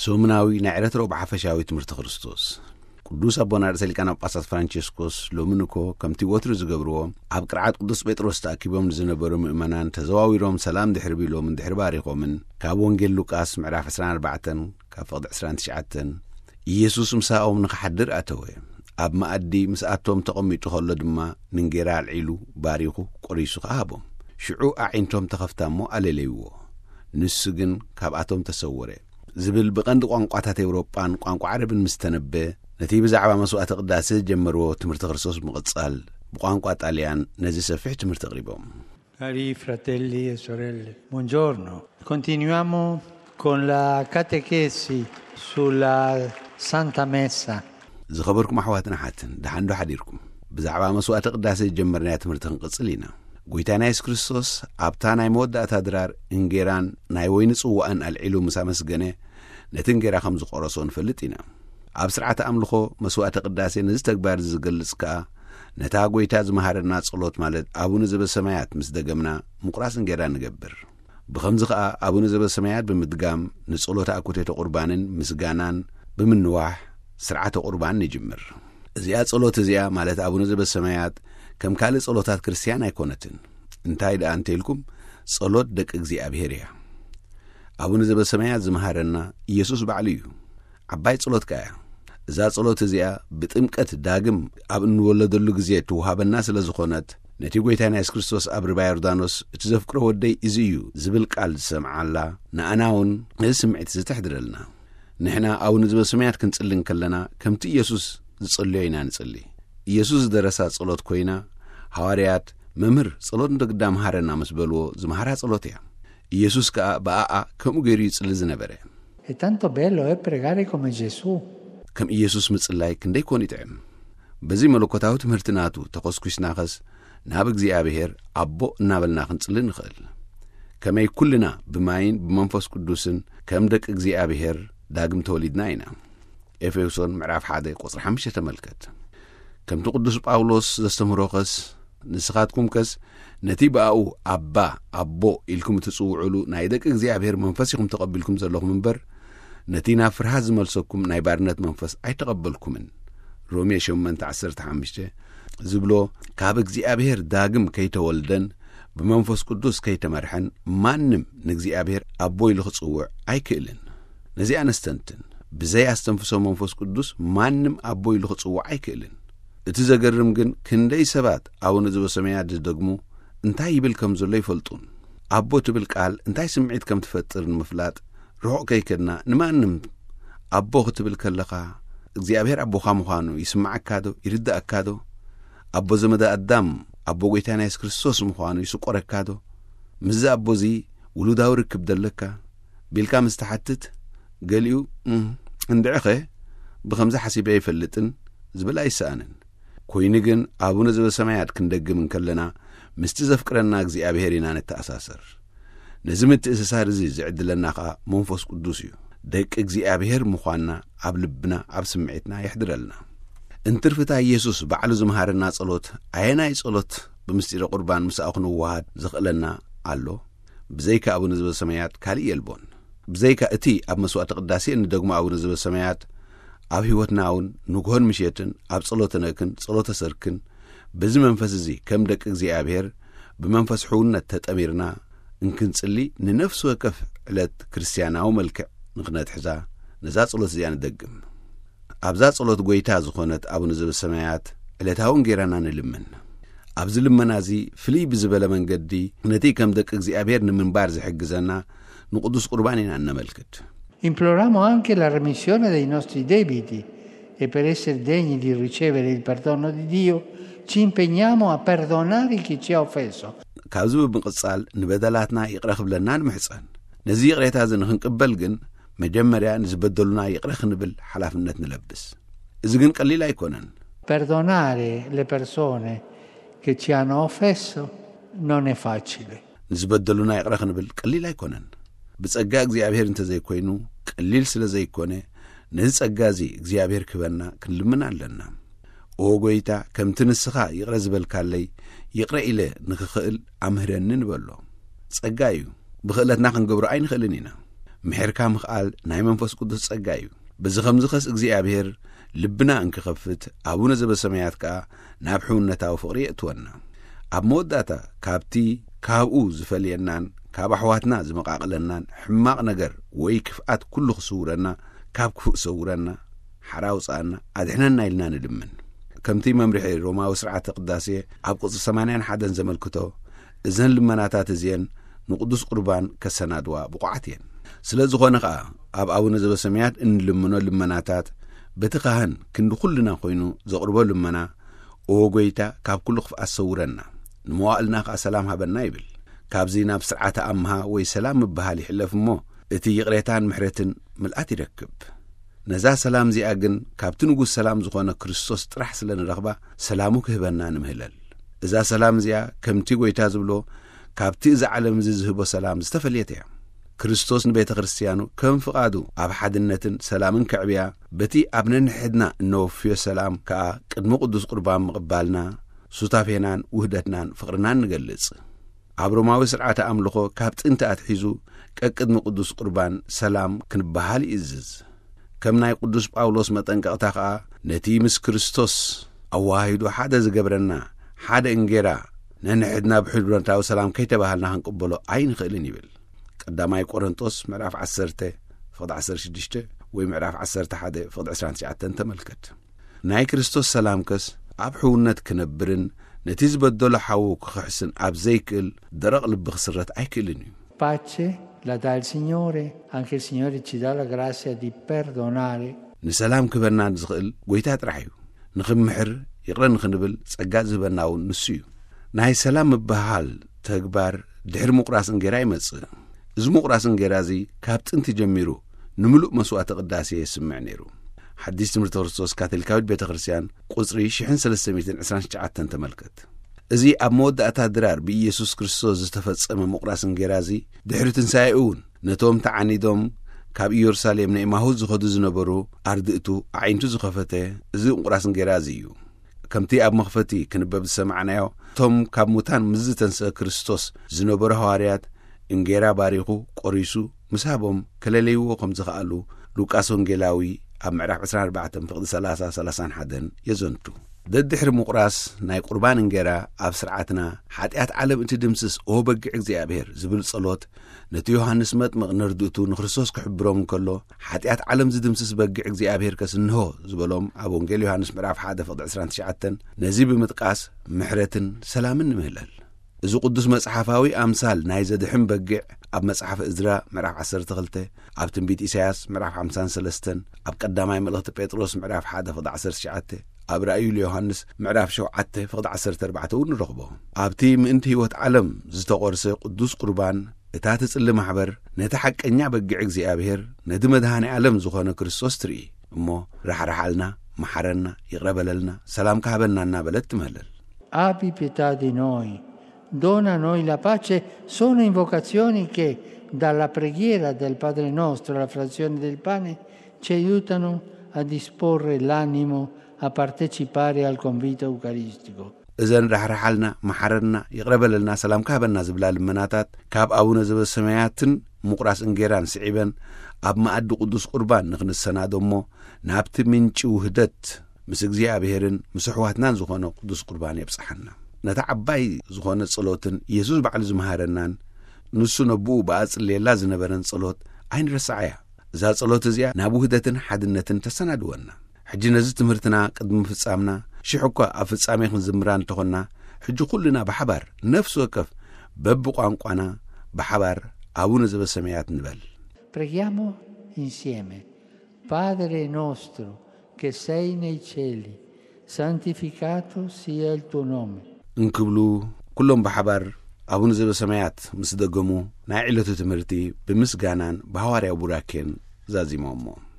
ሰሙናዊ ናይ ዕለት ረቡዕ ሓፈሻዊ ትምህርቲ ክርስቶስ። ቅዱስ ኣቦና ርእሰ ሊቃነ ጳጳሳት ፍራንቸስኮስ ሎሚ ንኮ ከምቲ ወትሩ ዝገብርዎ ኣብ ቅርዓት ቅዱስ ጴጥሮስ ተኣኪቦም ንዝነበሩ ምእመናን ተዘዋዊሮም ሰላም ድሕሪ ቢሎምን ድሕሪ ባሪኾምን ካብ ወንጌል ሉቃስ ምዕራፍ ዕስራን ኣርባዕተን ካብ ፍቕዲ ዕስራን ትሽዓተን ኢየሱስ ምሳኦም ንኽሓድር ኣተወ። ኣብ መኣዲ ምስኣቶም ተቐሚጡ ከሎ ድማ ንንጌራ ኣልዒሉ ባሪኹ ቆሪሱ ከኣ ሃቦም። ሽዑ ኣዒንቶም ተኸፍታ እሞ ኣለለይዎ። ንሱ ግን ካብኣቶም ተሰወረ። ዝብል ብቐንዲ ቋንቋታት ኤውሮጳን ቋንቋ ዓረብን ምስ ተነበ፣ ነቲ ብዛዕባ መስዋዕተ ቅዳሴ ዝጀመርዎ ትምህርቲ ክርስቶስ ብምቕጻል ብቋንቋ ጣልያን ነዚ ሰፊሕ ትምህርቲ ኣቕሪቦም። Cari fratelli e sorelle, buongiorno. Continuiamo con la catechesi sulla Santa Messa. ዝኸበርኩም ኣሕዋትን ኣሓትን፣ ደሓን ዶ ሓዲርኩም? ብዛዕባ መስዋዕተ ቅዳሴ ዝጀመርናዮ ትምህርቲ ክንቅጽል ኢና። ጎይታና የሱስ ክርስቶስ ኣብታ ናይ መወዳእታ ድራር እንጌራን ናይ ወይኒ ጽዋእን ኣልዒሉ ምስ ኣመስገነ፣ ነቲ እንጌራ ከም ዝቖረሶ ንፈልጥ ኢና። ኣብ ስርዓተ ኣምልኾ መስዋዕተ ቅዳሴ ነዚ ተግባር እዚ ዝገልጽ ከኣ፣ ነታ ጎይታ ዝመሃረና ጸሎት ማለት ኣቡነ ዘበሰማያት ምስ ደገምና ምቑራስ እንጌራ ንገብር። ብኸምዚ ኸኣ ኣቡነ ዘበሰማያት ብምድጋም ንጸሎተ ኣኩቴተ ቁርባንን ምስጋናን ብምንዋሕ ስርዓተ ቁርባን ንጅምር። እዚኣ ጸሎት እዚኣ ማለት ኣቡነ ዘበሰማያት ከም ካልእ ጸሎታት ክርስትያን ኣይኮነትን። እንታይ ደኣ እንተኢልኩም ጸሎት ደቂ እግዚኣብሔር እያ። ኣቡነ ዘበሰማያት ዝመሃረና ኢየሱስ ባዕሉ እዩ። ዓባይ ጸሎት ከኣ እያ። እዛ ጸሎት እዚኣ ብጥምቀት ዳግም ኣብ እንወለደሉ ግዜ ትውሃበና ስለ ዝኾነት፣ ነቲ ጎይታና የሱስ ክርስቶስ ኣብ ርባ ዮርዳኖስ እቲ ዘፍቅሮ ወደይ እዚ እዩ ዝብል ቃል ዝሰምዓላ፣ ንኣና እውን ነዚ ስምዒት እዚ ተሕድረልና። ንሕና ኣቡነ ዘበሰማያት ክንጽሊ እንከለና ከምቲ ኢየሱስ ዝጸለዮ ኢና ንጽሊ። ኢየሱስ ዝደረሳ ጸሎት ኮይና፣ ሃዋርያት፣ "መምህር፣ ጸሎት ንደግዳ መሃረና" ምስ በልዎ ዝመሃራ ጸሎት እያ። ኢየሱስ ከኣ ብኣኣ ከምኡ ገይሩ ይጽሊ ዝነበረ። È tanto bello, eh, pregare come Gesù. ከም ኢየሱስ ምጽላይ ክንደይ ኮን ይጥዕም። በዚ መለኮታዊ ትምህርቲ ናቱ ተኾስኩስናኸስ ናብ እግዚኣብሔር ኣቦ እናበልና ክንጽሊ ንኽእል። ከመይ ኩልና ብማይን ብመንፈስ ቅዱስን ከም ደቂ እግዚኣብሔር ዳግም ተወሊድና ኢና። ኤፌሶን ምዕራፍ ሓደ ቁጽሪ ሓሙሽተ ተመልከት። ከምቲ ቅዱስ ጳውሎስ ዘስተምህሮኸስ፣ ንስኻትኩምከስ ነቲ ብኣኡ ኣባ፣ ኣቦ ኢልኩም እትጽውዑሉ ናይ ደቂ እግዚኣብሔር መንፈስ ኢኹም ተቐቢልኩም ዘለኹም እምበር፣ ነቲ ናብ ፍርሃት ዝመልሰኩም ናይ ባርነት መንፈስ ኣይተቐበልኩምን። ሮሜ ሸሞንተ ዓሰርተ ሓሙሽተ ዝብሎ፣ ካብ እግዚኣብሔር ዳግም ከይተወልደን ብመንፈስ ቅዱስ ከይተመርሐን ማንም ንእግዚኣብሔር ኣቦ ኢሉ ክጽውዕ ኣይክእልን። ነዚኣ ነስተንትን። ብዘይ ኣስተንፍሶ መንፈስ ቅዱስ ማንም ኣቦ ኢሉ ክጽውዕ ኣይክእልን። እቲ ዘገርም ግን ክንደይ ሰባት ኣቡነ ዘበሰማያት ዝደግሙ እንታይ ይብል ከም ዘሎ ይፈልጡን። ኣቦ ትብል ቃል እንታይ ስምዒት ከም ትፈጥር ንምፍላጥ ርሑቕ ከይከድና ንማንም ኣቦ ክትብል ከለኻ እግዚኣብሔር ኣቦኻ ምዃኑ ይስምዓካ ዶ? ይርድኣካ ዶ? ኣቦ ዘመደ ኣዳም ኣቦ ጎይታና የሱስ ክርስቶስ ምዃኑ ይስቆረካ ዶ? ምስዚ ኣቦ እዚ ውሉዳዊ ርክብ ደለካ? ቢልካ ምስ ትሓትት ገሊኡ፣ "እም፣ እንድዕኸ ብኸምዚ ሓሲበ ኣይፈልጥን" ዝብል ኣይሰኣንን። ኮይኑ ግን ኣቡነ ዘበሰማያት ክንደግም እንከለና ምስቲ ዘፍቅረና እግዚኣብሔር ኢና ንተኣሳሰር። ነዚ ምትእስሳር እዚ ዝዕድለና ኸኣ መንፈስ ቅዱስ እዩ። ደቂ እግዚኣብሔር ምዃንና ኣብ ልብና ኣብ ስምዒትና የሕድረልና። እንትርፍታ ኢየሱስ ባዕሉ ዝመሃረና ጸሎት ኣየናይ ጸሎት ብምስጢረ ቁርባን ምስኣ ክንወሃድ ዘኽእለና ኣሎ? ብዘይካ ኣቡነ ዘበሰማያት ካልእ የልቦን። ብዘይካ እቲ ኣብ መስዋዕተ ቅዳሴ እንደግሞ ኣቡነ ዘበሰማያት ኣብ ሕይወትና እውን ንግሆን ምሸትን ኣብ ጸሎተ ነክን ጸሎተ ሰርክን በዚ መንፈስ እዚ ከም ደቂ እግዚኣብሔር ብመንፈስ ሕውነት ተጠሚርና እንክንጽሊ ንነፍሲ ወከፍ ዕለት ክርስትያናዊ መልክዕ ንኽነትሕዛ ነዛ ጸሎት እዚኣ ንደግም። ኣብዛ ጸሎት ጎይታ ዝኾነት ኣቡነ ዘበሰማያት ዕለታዊ እንጌራና ንልምን። ኣብዚ ልመና እዚ ፍልይ ብዝበለ መንገዲ ነቲ ከም ደቂ እግዚኣብሔር ንምንባር ዝሕግዘና ንቅዱስ ቁርባን ኢና እነመልክት። Imploriamo anche la remissione dei nostri debiti e per essere degni di ricevere il perdono di Dio, ci impegniamo a perdonare chi ci ha offeso. ካብዚ ብምቕጻል ንበደላትና ይቕረ ክብለና ንምሕጸን። ነዚ ይቕሬታ እዚ ንኽንቅበል ግን መጀመርያ ንዝበደሉና ይቕረ ክንብል ሓላፍነት ንለብስ። እዚ ግን ቀሊል ኣይኮነን። Perdonare le persone che ci hanno offeso non è facile. ንዝበደሉና ይቕረ ክንብል ቀሊል ኣይኮነን። ብጸጋ እግዚኣብሔር እንተዘይኮይኑ ቀሊል ስለ ዘይኮነ፣ ነዚ ጸጋ እዚ እግዚኣብሔር ክህበና ክንልምን ኣለና። "ኦ ጎይታ፣ ከምቲ ንስኻ ይቕረ ዝበልካለይ ይቕረ ኢለ ንኽኽእል ኣምህረኒ" ንበሎ። ጸጋ እዩ። ብኽእለትና ክንገብሮ ኣይንኽእልን ኢና። ምሕርካ ምኽኣል ናይ መንፈስ ቅዱስ ጸጋ እዩ። በዚ ኸምዚ ኸስ እግዚኣብሔር ልብና እንክኸፍት፣ ኣቡነ ዘበሰማያት ከኣ ናብ ሕውነታዊ ፍቕሪ የእትወና። ኣብ መወዳእታ፣ ካብቲ ካብኡ ዝፈልየናን ካብ ኣሕዋትና ዝመቓቕለናን ሕማቕ ነገር ወይ ክፍኣት ኩሉ ክስውረና፣ ካብ ክፉእ ሰውረና፣ ሓራ ኣውጽኣና፣ ኣድሕነና ኢልና ንልምን። ከምቲ መምርሒ ሮማዊ ስርዓተ ቅዳሴ ኣብ ቅጽሪ ሰማንያን ሓደን ዘመልክቶ፣ እዘን ልመናታት እዚአን ንቅዱስ ቁርባን ከሰናድዋ ብቑዓት እየን። ስለ ዝኾነ ኸኣ፣ ኣብ ኣቡነ ዘበሰማያት እንልምኖ ልመናታት፣ በቲ ካህን ክንዲ ኩልና ኮይኑ ዘቕርቦ ልመና፣ "ኦ ጐይታ፣ ካብ ኩሉ ክፍኣት ሰውረና፣ ንመዋእልና ኸኣ ሰላም ሃበና" ይብል። ካብዚ ናብ ስርዓተ ኣምሃ ወይ ሰላም ምብሃል ይሕለፍ እሞ፣ እቲ ይቕሬታን ምሕረትን ምልኣት ይረክብ። ነዛ ሰላም እዚኣ ግን ካብቲ ንጉስ ሰላም ዝኾነ ክርስቶስ ጥራሕ ስለ ንረኽባ፣ ሰላሙ ክህበና ንምህለል። እዛ ሰላም እዚኣ ከምቲ ጐይታ ዝብሎ፣ ካብቲ እዚ ዓለም እዚ ዝህቦ ሰላም ዝተፈልየት እያ። ክርስቶስ ንቤተ ክርስትያኑ ከም ፍቓዱ ኣብ ሓድነትን ሰላምን ከዕብያ፣ በቲ ኣብ ነንሕድና እነወፍዮ ሰላም ከኣ ቅድሚ ቅዱስ ቁርባን ምቕባልና፣ ሱታፌናን ውህደትናን ፍቕርናን ንገልጽ። ኣብ ሮማዊ ስርዓተ ኣምልኾ ካብ ጥንቲ ኣትሒዙ ቀቅድሚ ቅዱስ ቁርባን ሰላም ክንበሃል ይእዝዝ። ከም ናይ ቅዱስ ጳውሎስ መጠንቀቕታ ኸኣ፣ ነቲ ምስ ክርስቶስ ኣዋሃሂዱ ሓደ ዝገብረና ሓደ እንጌራ ነንሕድና ብሕድረታዊ ሰላም ከይተባሃልና ክንቅበሎ ኣይንኽእልን ይብል። ቀዳማይ ቆሮንጦስ ምዕራፍ ዓሰርተ ፍቕዲ ዓሰርተ ሽዱሽተ ወይ ምዕራፍ ዓሰርተ ሓደ ፍቕዲ ዕስራን ትሽዓተን ተመልከት። ናይ ክርስቶስ ሰላም ከስ ኣብ ሕውነት ክነብርን ነቲ ዝበደሎ ሓዉ ክኽሕስን ኣብ ዘይክእል ደረቕ ልቢ ክስረት ኣይክእልን እዩ። Pace la dà il Signore, anche il Signore ci dà la grazia di perdonare. ንሰላም ክህበና ዝኽእል ጐይታ ጥራሕ እዩ። ንኽምሕር ይቕረ ንኽንብል ጸጋ ዝህበና እውን ንሱ እዩ። ናይ ሰላም ምብህሃል ተግባር ድሕሪ ምቑራስ እንጌራ ይመጽእ። እዚ ምቑራስ እንጌራ እዚ ካብ ጥንቲ ጀሚሩ ንምሉእ መስዋዕተ ቅዳሴ የስምዕ ነይሩ። ሓዲስ ትምህርቲ ክርስቶስ ካቶሊካዊት ቤተ ክርስቲያን ቁጽሪ ሽሕን ሰለስተ ሚእትን ዕስራን ትሽዓተን ተመልከት። እዚ ኣብ መወዳእታ ድራር ብኢየሱስ ክርስቶስ ዝተፈጸመ ምቑራስ እንጌራ እዚ ድሕሪ ትንሳኤኡ እውን ነቶም ተዓኒዶም ካብ ኢየሩሳሌም ንኤማሁስ ዝኸዱ ዝነበሩ ኣርድእቱ ኣዒንቱ ዝኸፈተ እዚ ምቑራስ እንጌራ እዚ እዩ። ከምቲ ኣብ መኽፈቲ ክንበብ ዝሰማዕናዮ፣ እቶም ካብ ሙታን ምስ ዝተንስአ ክርስቶስ ዝነበሩ ሃዋርያት እንጌራ ባሪኹ ቆሪሱ ምስ ሃቦም ከለለይዎ ከም ዝኸኣሉ ሉቃስ ወንጌላዊ ኣብ ምዕራፍ ዕስራን ኣርባዕተን ፍቕዲ ሰላሳ ሰላሳን ሓደን የዘንቱ። ደድሕሪ ምቑራስ ናይ ቁርባን እንጌራ ኣብ ስርዓትና ሓጢኣት ዓለም እትድምስስ ኦ በጊዕ እግዚኣብሔር ዝብል ጸሎት ነቲ ዮሃንስ መጥምቕ ነርድእቱ ንክርስቶስ ክሕብሮም እንከሎ፣ ሓጢኣት ዓለም ዝድምስስ በጊዕ እግዚኣብሔር ከስ እንሆ ዝበሎም ኣብ ወንጌል ዮሃንስ ምዕራፍ ሓደ ፍቕዲ ዕስራን ትሽዓተን ነዚ ብምጥቃስ ምሕረትን ሰላምን ንምህለል። እዚ ቅዱስ መጽሓፋዊ ኣምሳል ናይ ዘድሕን በጊዕ ኣብ መጽሓፍ እዝራ ምዕራፍ ዓሰርተ ክልተ፣ ኣብ ትንቢት ኢሳያስ ምዕራፍ ሓምሳን ሰለስተን፣ ኣብ ቀዳማይ መልእኽቲ ጴጥሮስ ምዕራፍ ሓደ ፍቕዲ ዓሰርተ ትሽዓተ፣ ኣብ ራእዩ ዮሃንስ ምዕራፍ ሸውዓተ ፍቕዲ ዓሰርተ ኣርባዕተ እውን ንረኽቦ። ኣብቲ ምእንቲ ህይወት ዓለም ዝተቖርሰ ቅዱስ ቁርባን እታ ትጽሊ ማሕበር ነቲ ሓቀኛ በጊዕ እግዚኣብሔር ነቲ መድሃኒ ዓለም ዝኾነ ክርስቶስ ትርኢ እሞ፣ ራሕራሓልና፣ መሓረና፣ ይቕረ በለልና፣ ሰላምካ ሃበና እናበለት ትምህለል። Abbi pietà di noi, dona a noi la pace, sono invocazioni che dalla preghiera del Padre nostro alla frazione del pane ci aiutano a disporre l'animo a partecipare al convito eucaristico. እዘን ራሕራሓልና፣ መሓረና፣ ይቕረ በለልና፣ ሰላምካ ሃበና ዝብላ ልመናታት ካብ ኣቡነ ዘበሰማያትን ምቑራስ እንጌራን ስዒበን ኣብ መኣዲ ቅዱስ ቁርባን ንኽንሰናዶ እሞ ናብቲ ምንጪ ውህደት ምስ እግዚኣብሔርን ምስ ኣሕዋትናን ዝኾነ ቅዱስ ቁርባን የብጽሓና። ነታ ዓባይ ዝኾነ ጸሎትን ኢየሱስ ባዕሉ ዝመሃረናን ንሱ ነብኡ ብኣጽልየላ ዝነበረን ጸሎት ኣይንረስዓያ። እዛ ጸሎት እዚኣ ናብ ውህደትን ሓድነትን ተሰናድወና። ሕጂ ነዚ ትምህርትና ቅድሚ ምፍጻምና፣ ሽሕ እኳ ኣብ ፍጻሜ ክንዝምራ እንተኾንና፣ ሕጂ ኩልና ብሓባር ነፍሲ ወከፍ በብቋንቋና ብሓባር ኣቡነ ዘበሰማያት ንበል። Preghiamo insieme. Padre nostro che sei nei cieli, santificato sia il tuo nome. እንክብሉ ኩሎም ብሓባር ኣቡነ ዘበሰማያት ምስ ደገሙ፣ ናይ ዕለቱ ትምህርቲ ብምስጋናን ብሃዋርያዊ ቡራኬን ዛዚሞሞ።